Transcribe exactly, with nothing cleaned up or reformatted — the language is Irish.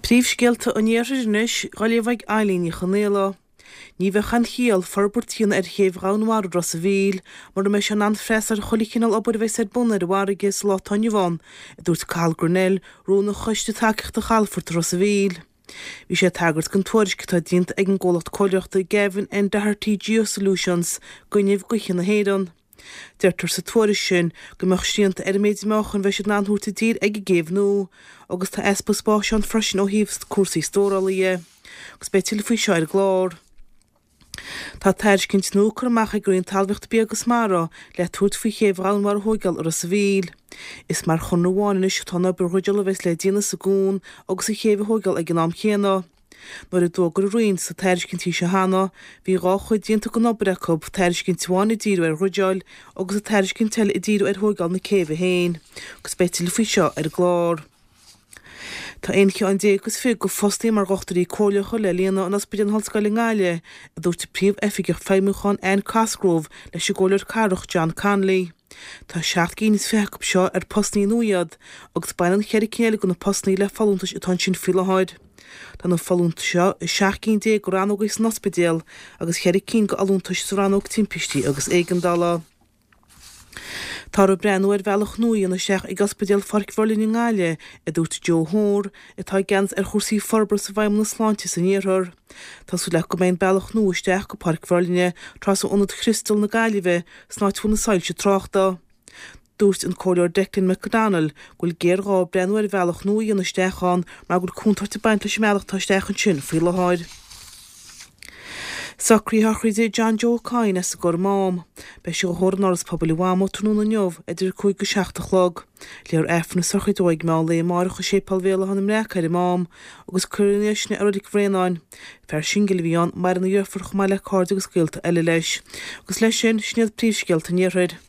Príomhscéalta an Iarthair anois, á léamh ag Eileen Ní Chonaola. Ní bheadh aon chiall forbairt a dhéanamh ar chéibh Dhomhanmhara Ros a' Mhíl mura mbeidh sé in ann freastal ar chuile chineál obair a bheas ar bun ar an bhfarraige sa lá atá inniu ann, a dúirt Cathal Grennell, Rúnaí Choiste Tacaíochta Chalafort Ros a' Mhíl. Bhí sé ag tagairt don tuairisc atá déanta ag an gcomhlacht comhairleoireachta Gavin N Doherty Geosolutions d'fhuinneamh gaoithe na hÉireann. Deirtear sa tuairisc sin go mbeadh srianta ar an méid meáchain a bheidh siad in ann a thabhairt i dtír ag an gcéibh nua agus tá easpa spáis ann freisin ó thaobh cúrsaí stórála dhe. Agus beidh tuilleadh faoi seo ar an gclár. Tá tairiscint nua curtha amach ag Roinn Talmhaíochta Bia agus Mara le tabhairt faoi chéibh Dhomhanmhara a thóigeáil i Ros a' Mhíl. Is mar chonradh amháin anois atá an obair dhruideála a bheas le déanamh sa gcuan agus an chéibh a thóigeáil ag an am chéanna. Nuair a d'fhógair an Roinn sna tairiscintí seo cheana, bhí dhá chuid déanta den obair acu, tairiscint amháin ag díriú ar dhruideáil agus an tairiscint eile ag díriú ar thóigeáil na céibhe féin. Agus beidh tuilleadh faoi seo ar an gclár. Tá aon cheann déag agus fiche de phostaí mar dhochtúirí comhairleacha le líonadh in Ospidéal na hOllscoile i nGaillimh, a dúirt an Príomh-Oifigeach Feidhmiúcháin Anne Cosgrove leis an gComhairleoir Cathrach John Connolly. Tá seacht gcinn is fiche acu seo ar postannaí nua iad agus baineann ceithre cinn eile de na postannaí le folúntais atá ansin faoi láthair. Tá na folúntais seo i seacht gcinn déag de rannógaí san ospidéal agus ceithre cinn de fholúntais sa rannóg timpistí agus éigeandála. Táthar ag breathnú ar bhealach nua a dhéanamh isteach ag Ospidéal Pháirc Mhuirlinne i nGaillimh, a dúirt Joe Hoare, atá i gceannas ar chúrsaí forbartha sa bhFeidhmeannas Sláinte san Iarthar. Tá súil acu go mbeidh an bealach nua isteach go Páirc Mhuirlinne trasna Ionad Chriostal na Gaillimhe san áit a bhfuil na soilse tráchta. Dúirt an Comhairleoir Declan McDonnell go bhfuil géarghá breathnú ar bhealach nua a dhéanamh isteach ann mar go bhfuil contúirt ag baint leis an mbealach atá isteach ansin faoi láthair. Socruithe sochraide John Joe Coyne as an gCorr Mám. Beidh sé á thórramh in Áras Pobail an Mhama tráthnóna inniu idir a cúig go seacht a chlog. Léifear Aifreann na sochraide dó ag meán lae amárach i Séipéal Bhéal Átha na mBreac ar an Mám agus cuirfear ina dhiaidh sin é i Reilig Bhréanainn. Fear singil a bhí ann, maireann a dheirfiúr chomh maith le cairde agus gaolta eile leis. Agus leis sin, sin iad príomhscéalta an Iarthair.